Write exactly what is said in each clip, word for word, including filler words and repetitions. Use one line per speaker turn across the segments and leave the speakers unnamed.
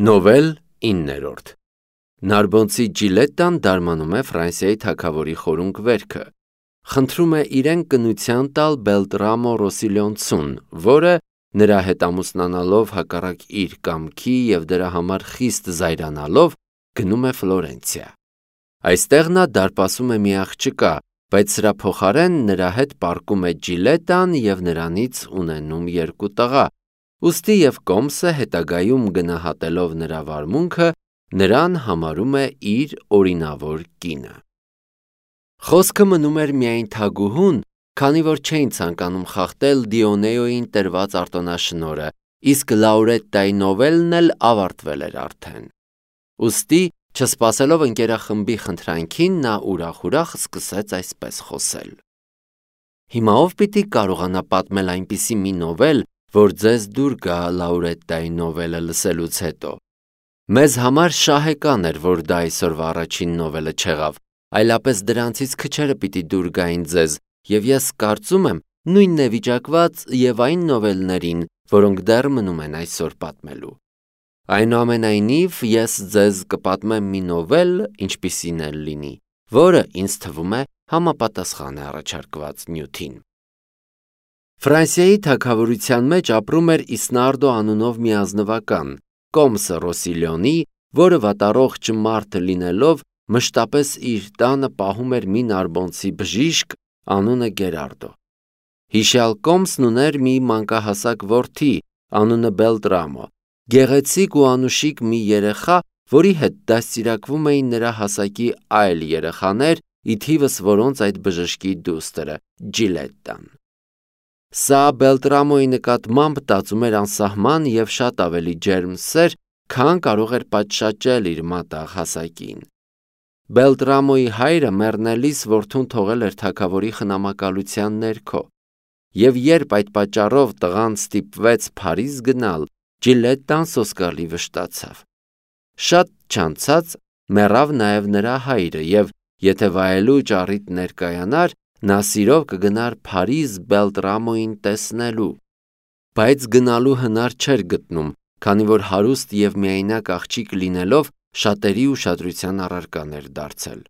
Նովել իններորդ Նարբոնցի Ջիլետտան դարմանում է Ֆրանսիայի թագավորի խորունկ վերքը, խնդրում է իրեն կնության տալ Բելտրամո Ռոսիլիոնցուն, որը նրա հետ ամուսնանալով հակառակ իր կամքի և դրա համար խիստ զայրանալով գնում է Ֆլորենցիա։ Այստեղ նա դարպասում է մի աղջկա, բայց սրա փոխարեն նրա հետ պառկում է Ջիլետտան և նրանից ունենում երկու տղա, ուստի և Կոմսը հետագայում գնահատելով նրա վարմունքը, նրան համարում է իր օրինավոր կինը։ Խոսքը մնում էր միայն թագուհուն, քանի որ չէին ցանկանում խախտել Դիոնեոյին տրված արտոնաշնորհը, իսկ Լաուրետտայի նովելն էլ ավարտվել էր արդեն։ Ուստի, չսպասելով ընկերախմբի խնդրանքին, նա ուրախ-ուրախ սկսեց այսպես խոսել. Հիմա ով պիտի կարողանա պատմել այնպիսի մի նովել, որ ձեզ դուր գա Լաուրետտայի նովելը լսելուց հետո։ Մեզ համար շահեկան էր, որ դա այսօրվա առաջին նովելը չեղավ, այլապես դրանցից քչերը պիտի դուր գային ձեզ, և ես կարծում եմ նույնն է վիճակված և այն նովելներին, որոնք դեռ մնում են այսօր պատմելու։ Այնուամենայնիվ, ես ձեզ կպատմեմ մի նովել, ինչպիսին էլ լինի, որը ինձ թվում է համապատասխան է առաջարկված նյութին։ Ֆրանսիայի թագավորության մեջ ապրում էր Իսնարդո անունով մի ազնվական, Կոմսը Ռոսիլիոնի, որը վատառողջ մարդ լինելով մշտապես իր տանը պահում էր մի նարբոնցի բժիշկ, անունը Գերարդո։ Հիշյալ Կոմսն ուներ մի մանկահասակ որդի, անունը Բելտրամո, գեղեցիկ ու անուշիկ մի երեխա, որի հետ դաստիարակվում էին նրա հասակի այլ երեխաներ, ի թիվս որոնց այդ բժշկի դուստրը Ջիլետտան։ Սա Բելտրամոյի նկատմամբ տածում էր անսահման և շատ ավելի ջերմ սեր, քան կարող էր պատշաճել իր մատաղ հասակին։ Բելտրամոյի հայրը մեռնելիս որդուն թողել էր թագավորի խնամակալության ներքո, և երբ այդ պատճառով տղան ստիպվեց Փարիզ գնալ, Ջիլետտան սոսկալի վշտացավ։ Շատ չանցած մեռավ նաև նրա հայրը, և եթե վայելուչ առիթ ներկայանար, նա սիրով կգնար Փարիզ Բելտրամոյին տեսնելու, բայց գնալու հնար չէր գտնում, քանի որ հարուստ և միայնակ աղջիկ լինելով շատերի ուշադրության առարկան էր դարձել։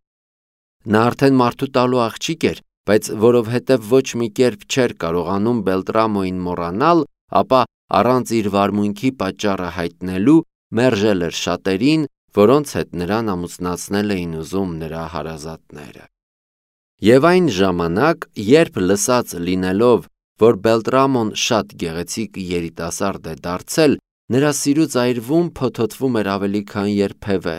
Նա արդեն մարդու տալու աղջիկ էր, բայց որովհետև ոչ մի կերպ չէր կարողանում Բելտրամոյին մոռանալ, ապա առանց իր վարմունքի պատճառը հայտնելու մերժել էր շատերին, որոնց հետ նրան ամուսնացնել էին ուզում նրա հարազատները։ Եվ այն ժամանակ, երբ լսած լինելով, որ Բելտրամոն շատ գեղեցիկ երիտասարդ է դարձել, նրա սիրուց այրվում փոթոթվում էր ավելի քան երբևէ,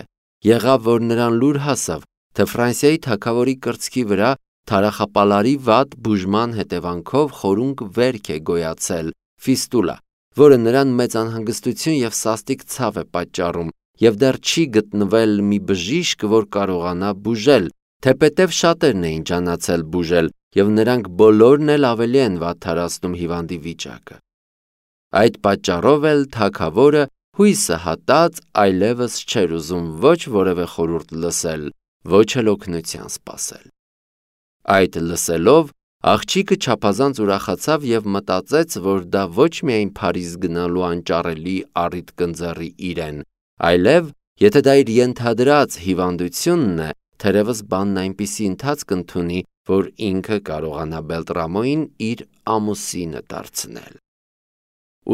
եղավ, որ նրան լուր հասավ, թե Ֆրանսիայի թագավորի կրծքի վրա թարախապալարի վատ բուժման հետևանքով խորունկ վերք է գոյացել, ֆիստուլա, որը նրան մեծ անհանգստություն և սաստիկ ցավ է պատճառում, և դեռ չի գտնվել մի բժիշկ, որ կարողանա բուժել, թեպետև շատերն էին ջանացել բուժել, և նրանք բոլորն էլ ավելի են վատթարացնում հիվանդի վիճակը։ Այդ պատճառով էլ թագավորը հույսը հատած այլևս չէր ուզում ոչ որևէ խորհուրդ լսել, ոչ էլ օգնության սպասել։ Այդ լսելով, աղջիկը չափազանց ուրախացավ և մտածեց, որ դա ոչ միայն Փարիզ գնալու անճառելի առիթ կընձեռի իրեն, այլև, եթե դա իր ենթադրած հիվանդությունն է, թերևս բանն այնպիսի ընթացք ընդունի, որ ինքը կարողանա Բելտրամոյին իր ամուսինը դարձնել։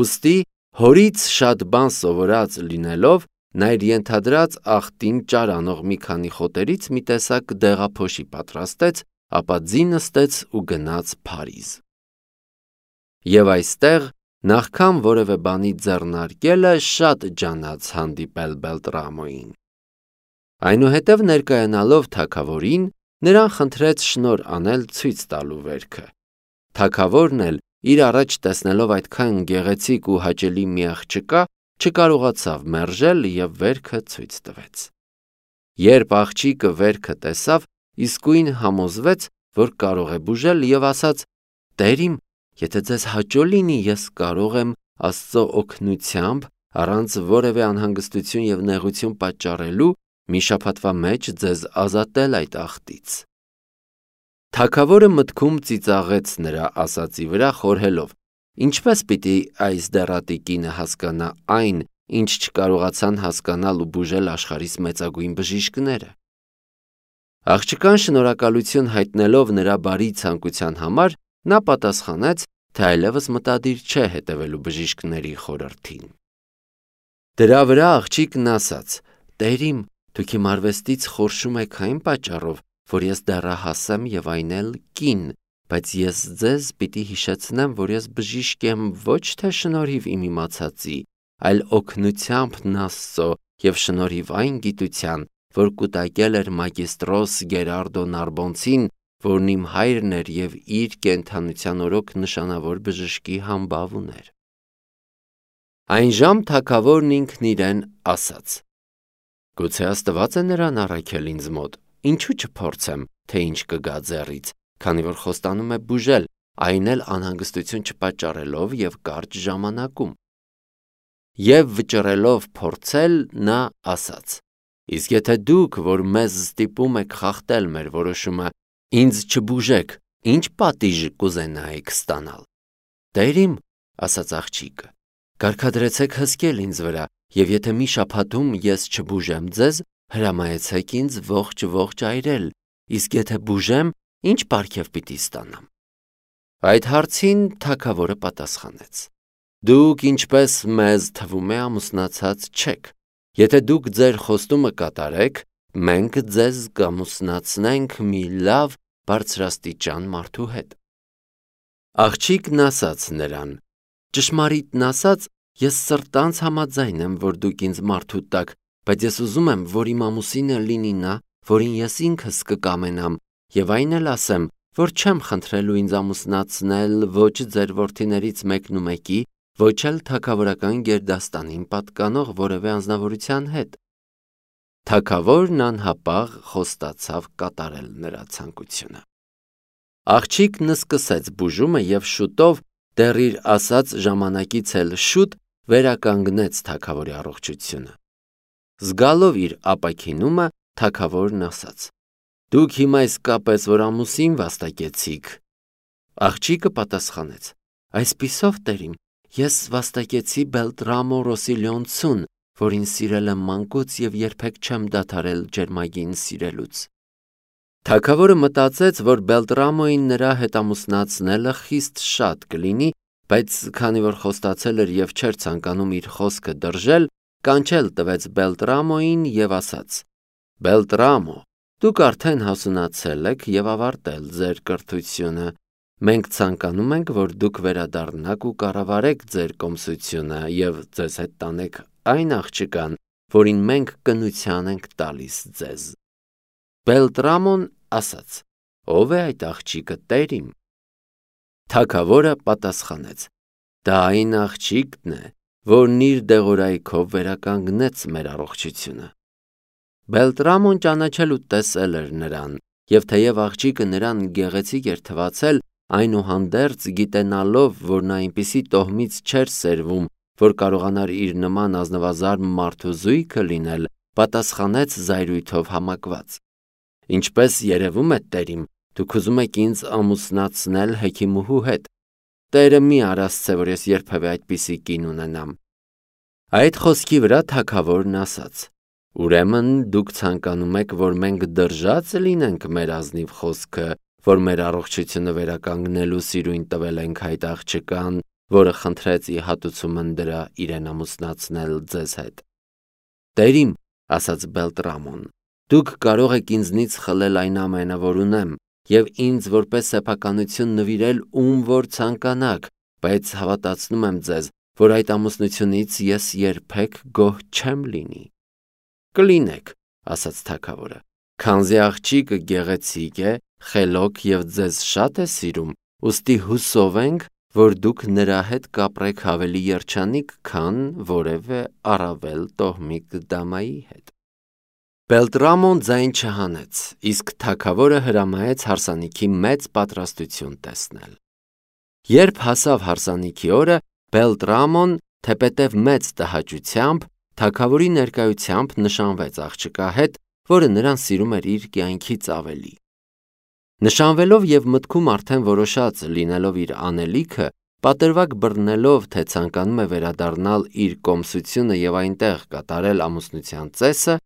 Ուստի, հորից շատ բան սովորած լինելով, նա իր ենթադրած ախտին ճար անող մի քանի խոտերից մի տեսակ դեղափոշի պատրաստեց, ապա ձի նստեց ու գնաց Փարիզ։ Եվ այստեղ, նախքան որևէ բանի ձեռնարկելը, շատ ջանաց հանդիպել Բելտրամոյին։ Այնուհետև ներկայանալով թագավորին, նրան խնդրեց շնորհ անել ցույց տալու վերքը։ Թագավորն էլ, իր առաջ տեսնելով այդքան գեղեցիկ ու հաճելի մի աղջկա, չկարողացավ մերժել և վերքը ցույց տվեց։ Երբ աղջիկը վերքը տեսավ, իսկույն համոզվեց, որ կարող է բուժել և ասաց. «Տեր իմ, եթե ձեզ հաճո լինի, ես կարող եմ Աստծո օգնությամբ, առանց որևէ անհանգստություն և նեղություն պատճառելու, մի շաբաթվա մեջ ձեզ ազատել այդ աղտից»։ Թագավորը մտքում ծիծաղեց նրա ասածի վրա, խորհելով. ինչպես պիտի այս դեռատի կինը հասկանա այն, ինչ չկարողացան հասկանալ ու բուժել աշխարհիս մեծագույն բժիշկները։ Աղջկան շնորհակալություն հայտնելով նրա բարի ցանկության համար, նա պատասխանեց, թե այլևս մտադիր չէ հետևելու բժիշկների խորհրդին։ Դրա վրա աղջիկն ասաց. «Տեր իմ, դուք իմ արվեստից խորշում եք այն պատճառով, որ ես դեռահաս եմ եւ այն էլ կին, բայց ես ձեզ պիտի հիշեցնեմ, որ ես բժիշկ եմ ոչ թե շնորհիվ իմ իմացածի, այլ օգնությամբ Աստծո եւ շնորհիվ այն գիտության, որ կուտակել էր մագիստրոս Գերարդո Նարբոնցին, որն իմ հայրն էր եւ իր կենդանության օրոք նշանավոր բժշկի համբավ ուներ»։ Այն ժամ թագավորն ինքն իրեն ասաց. «Գուցե Աստված է նրան առաքել ինձ մոտ, ինչու չփորձեմ, թե ինչ կգա ձեռից, քանի որ խոստանում է բուժել, այն էլ անհանգստություն չպատճառելով եւ կարճ ժամանակում»։ Եվ վճռելով փորձել, նա ասաց. «Իսկ եթե դուք, որ մեզ ստիպում եք խախտել մեր որոշումը, ինձ չբուժեք, ինչ պատիժ կուզենայիք ստանալ»։ «Տեր իմ», ասաց աղջիկը, «կարգադրեցեք հսկել ինձ վրա, եւ եթե մի շաբաթում ես չբուժեմ ձեզ, հրամայեցեք ինձ ողջ-ողջ այրել, իսկ եթե բուժեմ, ինչ պարգև պիտի ստանամ»։ Այդ հարցին թագավորը պատասխանեց. «Դուք, ինչպես մեզ թվում է, ամուսնացած չեք։ Եթե դուք ձեր խոստումը կատարեք, մենք ձեզ կամուսնացնենք մի լավ բարձրաստիճան մարդու հետ»։ Աղջիկն ասաց նրան. «Ճշմարիտն ասած, ես սրտանց համաձայն եմ, որ դուք ինձ մարդու տաք, բայց ես ուզում եմ, որ իմ ամուսինը լինի նա, որին ես ինքս կկամենամ, եւ այն էլ ասեմ, որ չեմ խնդրելու ինձ ամուսնացնել ոչ ձեր որդիներից մեկն ու մեկի, ոչ էլ թագավորական գերդաստանին պատկանող որևէ անձնավորության հետ»։ Թագավորն անհապաղ խոստացավ կատարել նրա ցանկությունը։ Աղջիկն սկսեց բուժումը եւ շուտով, դեռ իր ասած ժամանակից էլ շուտ, վերականգնեց թագավորի առողջությունը։ Զգալով իր ապաքինումը, թագավորն ասաց. «Դուք հիմա իսկապես որ ամուսին վաստակեցիք»։ Աղջիկը պատասխանեց. «Այսպիսով, տեր իմ, ես վաստակեցի Բելտրամո Ռոսիլիոնցուն, որին սիրել եմ մանկուց եւ երբեք չեմ դադարել ջերմագին սիրելուց»։ Թագավորը մտածեց, որ Բելտրամոին նրա հետ ամուսնացնելը խիստ շատ կլինի, բայց քանի որ խոստացել էր եւ չէր ցանկանում իր խոսքը դրժել, կանչել տվեց Բելտրամոին եւ ասաց. «Բելտրամո, դուք արդեն հասունացել եք եւ ավարտել ձեր կրթությունը։ Մենք ցանկանում ենք, որ դուք վերադառնաք ու կառավարեք ձեր կոմսությունը եւ ձեզ հետ տանեք այն աղջկան, որին մենք կնության ենք տալիս ձեզ»։ Բելտրամոն ասաց. «Ո՞վ է այդ աղջիկը, տեր իմ»։ Թագավորը պատասխանեց. «Դա այն աղջիկն է, որն իր դեղորայքով վերականգնեց մեր առողջությունը»։ Բելտրամոն ճանաչել ու տեսել էր նրան, եւ թեև աղջիկը նրան գեղեցիկ էր թվացել, այնուհանդերձ գիտենալով, որ նա այնպիսի տոհմից չէր սերվում, որ կարողանար իր նման ազնվազարմ մարդու զույգը լինել, պատասխանեց զայրույթով համակված. «Ինչպես երևում է, տեր իմ, դուք ուզում եք ինձ ամուսնացնել հեքիմուհու հետ։ Տերը մի արասցե, որ ես երբևէ այդպիսի կին ունենամ»։ Այդ խոսքի վրա թագավորն ասաց. «Ուրեմն դուք ցանկանում եք, որ մենք դրժած լինենք մեր ազնիվ խոսքը, որ մեր առողջությունը վերականգնելու սիրույն տվել ենք այդ աղջկան, որը խնդրեց ի հատուցումն դրա իրեն ամուսնացնել ձեզ հետ»։ «Տեր իմ», ասաց Բելտրամոն, «դուք կարող եք ինձնից խլել այն ամենը, որ ունեմ, եւ ինձ որպես սեփականություն նվիրել ում որ ցանկանաք, բայց հավատացնում եմ ձեզ, որ այդ ամուսնությունից ես երբեք գոհ չեմ լինի»։ «Կլինեք», ասաց թագավորը, «քանզի աղջիկը գեղեցիկ է, խելոք եւ ձեզ շատ է սիրում, ուստի հուսով ենք, որ դուք նրա հետ կապրեք ավելի երջանիկ, քան որևէ առավել տոհմիկ դամայի հետ»։ Բելտրամոն ձայն չհանեց, իսկ թագավորը հրամայեց հարսանիքի մեծ պատրաստություն տեսնել։ Երբ հասավ հարսանիքի օրը, Բելտրամոն, թեպետև մեծ տհաճությամբ, թագավորի ներկայությամբ նշանվեց աղջկա հետ, որը նրան սիրում էր իր կյանքից ավելի։ Նշանվելով եւ մտքում արդեն որոշած լինելով իր անելիքը, Պատրվակ բռնելով, թե ցանկանում է վերադառնալ իր կոմսությունը եւ այնտեղ կատարել ամուսնության ծեսը,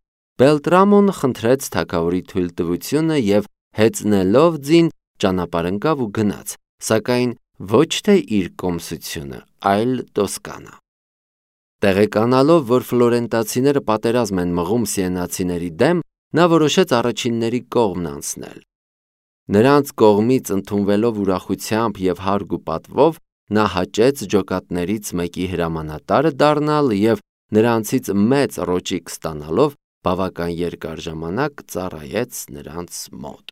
Բելտրամոն խնդրեց թագավորի թույլտվությունը եւ հեծնելով ձին ճանապարհ ընկավ ու գնաց, սակայն ոչ թե իր կոմսությունը, այլ Տոսկանա։ Տեղեկանալով, որ ֆլորենտացիները պատերազմ են մղում սիենացիների դեմ, նա որոշեց առաջինների կողմն անցնել։ Նրանց կողմից ընդունվելով ուրախությամբ եւ հարգ ու պատվով, նա հաճեց ջոկատներից մեկի հրամանատարը դառնալ եւ նրանցից մեծ ռոճիկ ստանալով բավական երկար ժամանակ ծառայեց նրանց մոտ։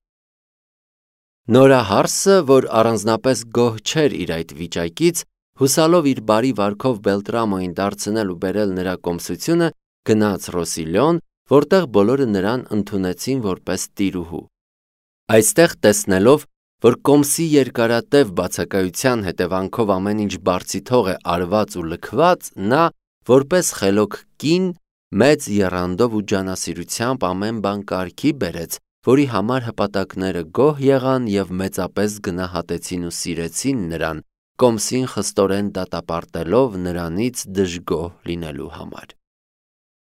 Նորահարսը, որ առանձնապես գոհ չէր իր այդ վիճակից, հուսալով իր բարի վարքով Բելտրամոին դարձնել ու բերել նրա կոմսությունը, գնաց Ռոսիլիոն, որտեղ բոլորը նրան ընդունեցին որպես տիրուհու։ Այստեղ տեսնելով, որ կոմսի երկարատև բացակայության հետևանքով ամեն ինչ բարձիթող է արված ու լքված, նա, որպես խելոք կին, մեծ եռանդով ու ջանասիրությամբ ամեն բան կարգի բերեց, որի համար հպատակները գոհ եղան եւ մեծապես գնահատեցին ու սիրեցին նրան, կոմսին խստորեն դատապարտելով նրանից դժգոհ լինելու համար։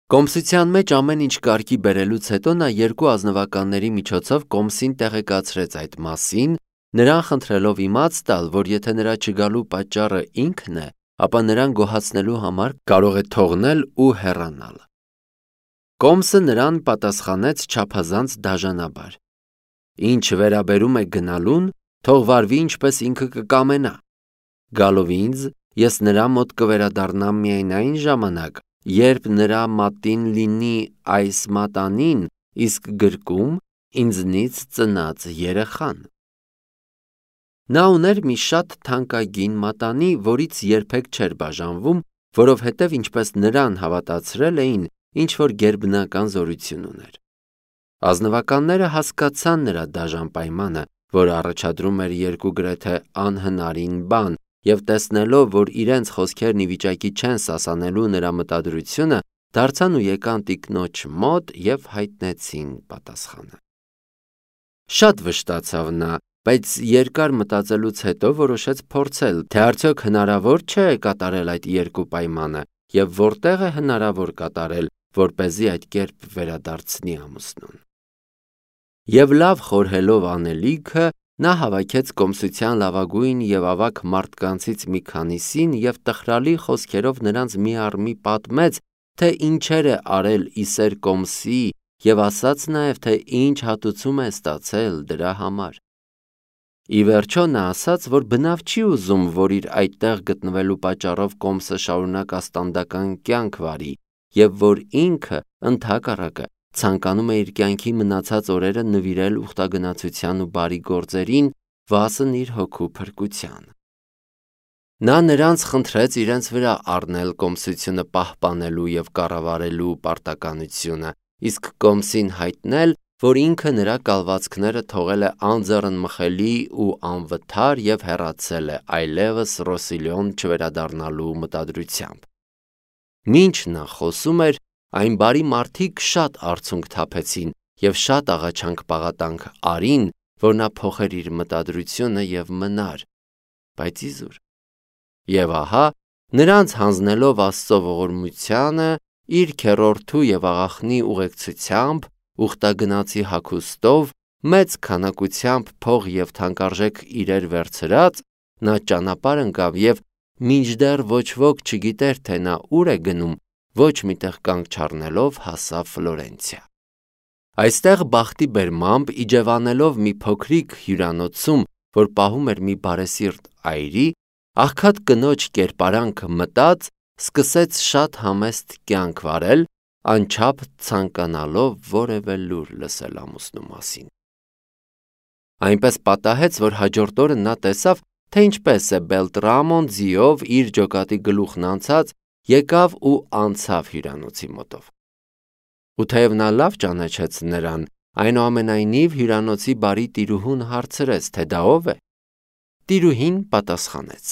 Կոմսության մեջ ամեն ինչ կարգի բերելուց հետո նա երկու ազնվականների միջոցով կոմսին տեղեկացրեց այդ մասին, նրան խնդրելով իմաց տալ, որ եթե նրա չգալու պատճառը ինքն է, ապա նրան գոհացնելու համար կարող է թողնել ու հեռանալ։ Կոմսը նրան պատասխանեց չափազանց դաժանաբար. Ինչ վերաբերում է գնալուն, թող վարվի ինչպես ինքը կկամենա։ Գալով ինձ, ես նրա մոտ կվերադառնամ միայն այն ժամանակ, երբ նրա մատին լինի այս մատանին, իսկ գրկում ինձնից ծնած երեխան։ Նա ուներ մի շատ թանկագին մատանի, որից երբեք չէր բաժանվում, որովհետև ինչպես նրան հավատացրել էին, ինչ որ գերբնական զորություն ուներ։ Ազնվականները հասկացան նրա դաժան պայմանը, որ առաջադրում էր երկու գրեթե անհնարին բան, եւ տեսնելով, որ իրենց խոսքերն ի վիճակի չեն սասանելու նրա մտադրությունը, դարձան ու եկան տիկնոջ մոտ եւ հայտնեցին պատասխանը։ Շատ վշտացավ նա, բայց երկար մտածելուց հետո որոշեց փորձել, թե արդյոք հնարավոր չէ կատարել այդ երկու պայմանը եւ որտեղ է հնարավոր կատարել, որպեսզի այդ կերպ վերադարձնի ամուսնուն։ Եվ լավ խորհելով անելիքը, նա հավաքեց կոմսության լավագույն եւ ավագ մարդկանցից մի քանիսին եւ տխրալի խոսքերով նրանց մի առ մի պատմեց, թե ինչեր է արել Իսեր կոմսի եւ ասաց նաեւ, թե ինչ հատուցում է ստացել դրա համար։ Ի վերջո նա ասաց, որ բնավ չի ուզում, որ իր այդտեղ գտնվելու պատճառով կոմսը շարունակ աստանդական կյանք վարի եւ որ ինքը ընդհակառակը ցանկանում է իր կյանքի մնացած օրերը նվիրել ուխտագնացության ու բարի գործերին, վասն իր հոգու փրկության։ Նա նրանց խնդրեց իրենց վրա առնել կոմսությունը պահպանելու եւ կառավարելու պարտականությունը, իսկ կոմսին հայտնել, որ ինքը նրա կալվածքները թողել է անձեռնմխելի ու անվթար եւ հեռացել է այլևս Ռոսիլիոն չվերադառնալու մտադրությամբ։ Մինչ նա խոսում էր, այն բարի մարդիկ շատ արցունք թափեցին եւ շատ աղաչանք պաղատանք արին, որ նա փոխեր իր մտադրությունը եւ մնար, բայց իզուր։ Եվ ահա, նրանց հանձնելով Աստծո ողորմությանը, իր քեռորդու եւ աղախնի ուղեկցությամբ, ուխտագնացի հագուստով, մեծ քանակությամբ փող եւ թանկարժեք իրեր վերցրած, նա ճանապարհ ընկավ եւ մինչդեռ ոչ ոք չգիտեր, թե նա ուր է գնում, ոչ միտեղ կանգ չառնելով հասավ Ֆլորենցիա։ Այստեղ բախտի բերմամբ իջևանելով մի փոքրիկ հյուրանոցում, որ պահում էր մի բարեսիրտ այրի, աղքատ կնոջ կերպարանքը մտած, սկսեց շատ համեստ կյանք վարել, անչափ ցանկանալով որևէ լուր լսել ամուսնու մասին։ Այնպես պատահեց, որ հաջորդ օրը նա տեսավ, թե ինչպես է Բելտրամոն ձիով իր ջոկատի գլուխն անցած, եկավ ու անցավ հյուրանոցի մոտով։ Ու թեև նա լավ ճանաչեց նրան, այնուամենայնիվ հյուրանոցի բարի տիրուհուն հարցրեց, թե դա ով է։ Տիրուհին պատասխանեց.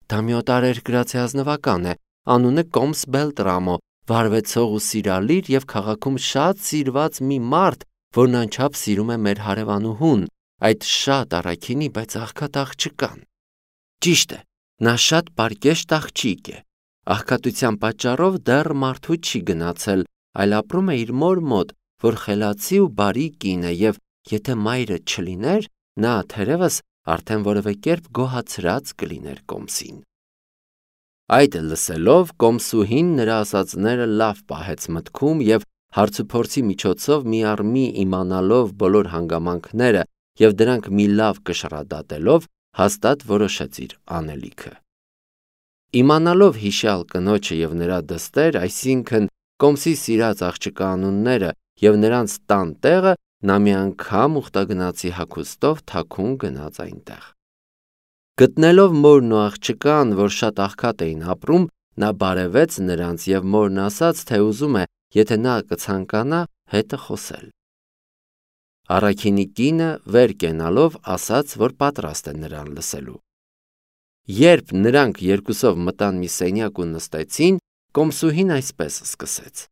Դա մի օտարերկրացի ազնվական է, անունը Կոմս Բելտրամո, վարվեցող ու սիրալիր եւ քաղաքում շատ սիրված մի մարդ, որն անչափ սիրում է մեր հարևանուհուն, այդ շատ առաքինի, բայց աղքատ աղջկան։ Ճիշտ է, Նա շատ պարկեշտ աղջիկ է, աղքատության պատճառով դեռ մարդու չի գնացել, այլ ապրում է իր մոր մոտ, որ խելացի ու բարի կին է, և եթե մայրը չլիներ, նա թերևս արդեն որևէ կերպ գոհացրած կլիներ կոմսին։ Այդ լսելով կոմսուհին նրա ասածները լավ պահեց մտքում և հարցուփորձի միջոցով մի առ մի իմանալով բոլոր հանգամանքները և դրանք մի լավ կշռադատելով հաստատ որոշեց իր անելիքը։ Իմանալով հիշյալ կնոջը և նրա դստեր, այսինքն կոմսի սիրած աղջկա անունները և նրանց տան տեղը, նա մի անգամ ուխտագնացի հագուստով թաքուն գնաց այնտեղ։ Գտնելով մորն ու աղջկան, որ շատ աղքատ էին ապրում, նա բարևեց նրանց և մորն ասաց, թե ուզում է, եթե նա կցանկանա, հետը խոսել։ Առաքինի կինը վեր կենալով ասաց, որ պատրաստ է նրան լսելու։ Երբ նրանք երկուսով մտան մի սենյակ ու նստեցին, կոմսուհին այսպես սկսեց.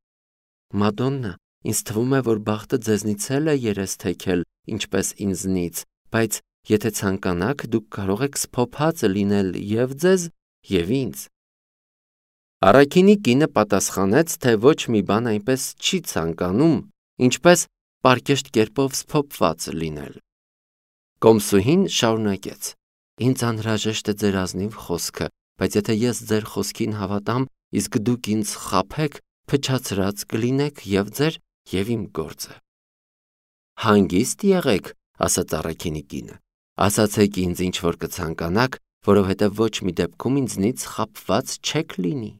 «Մադոննա, ինձ թվում է, որ բախտը ձեզնից էլ է երես թեքել, ինչպես ինձնից, բայց եթե ցանկանաք, դուք կարող եք սփոփած լինել և ձեզ, և ինձ»։ Առաքինի կինը պատասխանեց, թե ոչ մի բան այնպես չի ցանկանում, ինչպես պարկեշտ կերպով սփոփված լինել։ Կոմսուհին շարունակեց. «Ինձ անհրաժեշտ է ձեր ազնիվ խոսքը, բայց եթե ես ձեր խոսքին հավատամ, իսկ դուք ինձ խաբեք, փչացրած կլինեք և ձեր, և իմ գործը»։ «Հանգիստ եղեք», ասաց առաքինի կինը, «ասացեք ինձ, ինչ որ կցանկանաք, որովհետև ոչ մի դեպքում ինձնից խաբված չեք լինի»։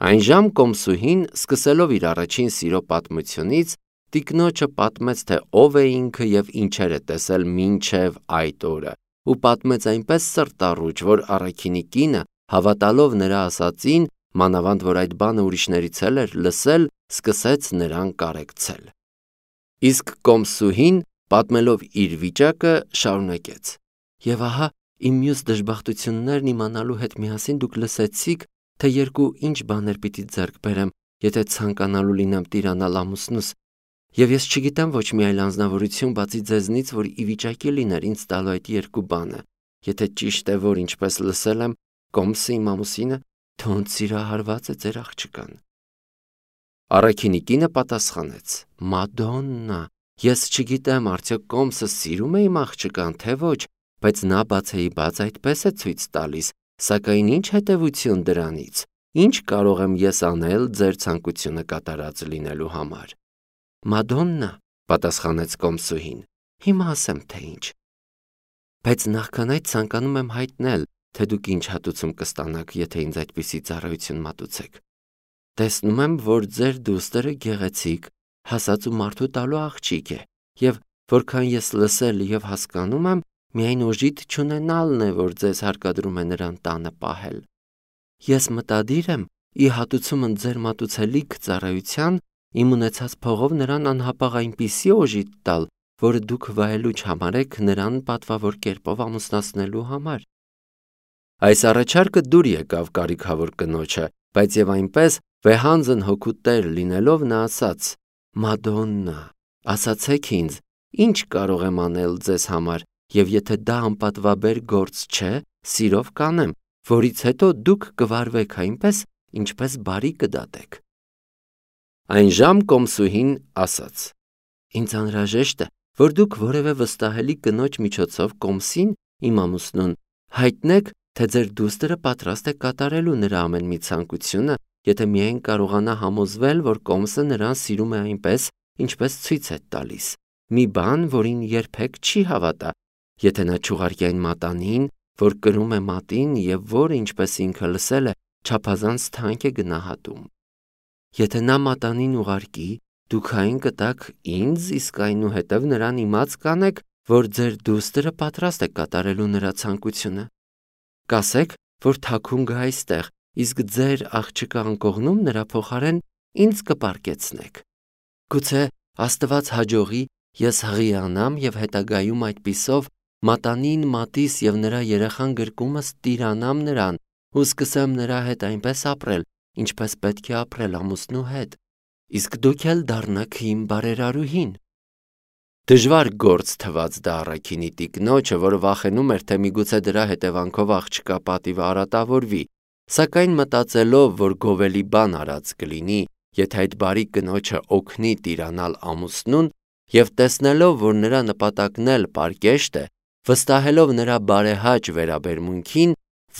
Այնժամ կոմսուհին, սկսելով իր առաջին սիրո պատմությունից, տիկնոջը պատմեց, թե ով է ինքը և ինչեր է տեսել մինչև այդ օրը, ու պատմեց այնպես սրտառուչ, որ առաքինի կինը, հավատալով նրա ասածին, մանավանդ որ այդ բանը ուրիշներից էլ էր լսել, սկսեց նրան կարեկցել։ Իսկ կոմսուհին, պատմելով իր վիճակը, շարունակեց. «Եվ ահա իմ մյուս դժբախտություններն իմանալու հետ միասին դուք լսեցիք, թե երկու ինչ բաներ պիտի ձեռք բերեմ, եթե ցանկանալու լինեմ տիրանալ ամուսնուս, և ես չգիտեմ ոչ մի այլ անձնավորություն բացի ձեզնից, որ ի վիճակի լիներ ինձ տալու այդ երկու բանը, եթե ճիշտ է, որ ինչպես լսել եմ, կոմսը իմ ամուսինը թունդ սիրահարված է ձեր աղջկան»։ Առաքինի կինը պատասխանեց. «Մադոննա, ես չգիտեմ, արդյոք կոմսը սիրում է իմ աղջկան, թե ոչ, բայց նա բացեի բաց այդպես է ցույց տալիս, սակայն ինչ հետևություն դրանից, ինչ կարող եմ ես անել ձեր ցանկությունը կատարած լինելու համար»։ «Մադոննա», պատասխանեց կոմսուհին, «հիմա ասեմ, թե ինչ։ Բայց նախքան այդ ցանկանում եմ հայտնել, թե դուք ինչ հատուցում կստանաք, եթե ինձ այդպիսի ծառայություն մատուցեք։ Տեսնում եմ, որ ձեր դուստրը գեղեցիկ, հասած ու մարդու տալու աղջիկ է, և որքան ես լսել և հասկանում եմ, միայն օժիտ չունենալն է, որ ձեզ հարկադրում է նրան տանը պահել։ Ես մտադիր եմ, ի հատուցումն ձեր մատուցելիք ծառայության, իմ ունեցած փողով նրան անհապաղ այնպիսի օժիտ տալ, որը դուք վայելուչ համարեք նրան պատվավոր կերպով ամուսնացնելու համար»։ Այս առաջարկը դուր եկավ կարիքավոր կնոջը, բայց և այնպես, վեհանձն հոգու տեր լինելով, նա ասաց. «Մադոննա, ասացեք ինձ, ինչ կարող եմ անել ձեզ համար, և եթե դա անպատվաբեր գործ չէ, սիրով կանեմ, որից հետո դուք կվարվեք այնպես, ինչպես բարի կդատեք»։ Այնժամ կոմսուհին ասաց. «Ինձ անհրաժեշտ է, որ դուք որևէ վստահելի կնոջ միջոցով կոմսին, իմ ամուսնուն, հայտնեք, թե ձեր դուստրը պատրաստ է կատարելու նրա ամեն մի ցանկությունը, եթե միայն կարողանա համոզվել, որ կոմսը նրան սիրում է այնպես, ինչպես ցույց է տալիս, մի բան, որին երբեք չի հավատա, եթե նա չուղարկի այն մատանին, որ կրում է մատին և որը, ինչպես ինքը լսել է, չափազանց թանկ է գնահատում։ Եթե նա մատանին ուղարկի, դուք այն կտաք ինձ, իսկ այնուհետև նրան իմաց կանեք, որ ձեր դուստրը պատրաստ է կատարելու նրա ցանկությունը։ Կասեք, որ թաքուն գա այստեղ, իսկ ձեր աղջկա անկողնում նրա փոխարեն ինձ կպարկեցնեք։ Գուցե Աստված հաջողի, ես հղիանամ և հետագայում այդպիսով մատանին մատիս և նրա երեխան գրկումս տիրանամ նրան ու սկսեմ նրա հետ այնպես ապրել, ինչպես պետք է ապրել ամուսնու հետ, իսկ դուք էլ դառնաք իմ բարերարուհին։ Դժվար գործ թված դա առաքինի տիկնոջը, որը վախենում էր, թե միգուցե դրա հետևանքով աղջկա պատիվը արատավորվի, սակայն մտածելով, որ գովելի բան արած կլինի, եթե այդ բարի կնոջը օգնի տիրանալ ամուսնուն, և տեսնելով, որ նրա նպատակն էլ պարկեշտ է, վստահելով նրա բարեհաճ վերաբերմունքին,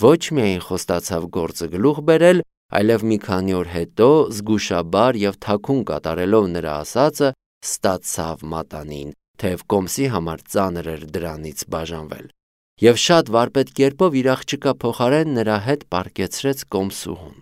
ոչ միայն խոստացավ գործը գլուխ բերել, այլև մի քանի օր հետո զգուշաբար և թաքուն կատարելով նրա ասածը, ստացավ մատանին, թեև կոմսի համար ծանր էր դրանից բաժանվել, և շատ վարպետ կերպով իր աղջկա փոխարեն նրա հետ պարկեցրեց կոմսուհուն։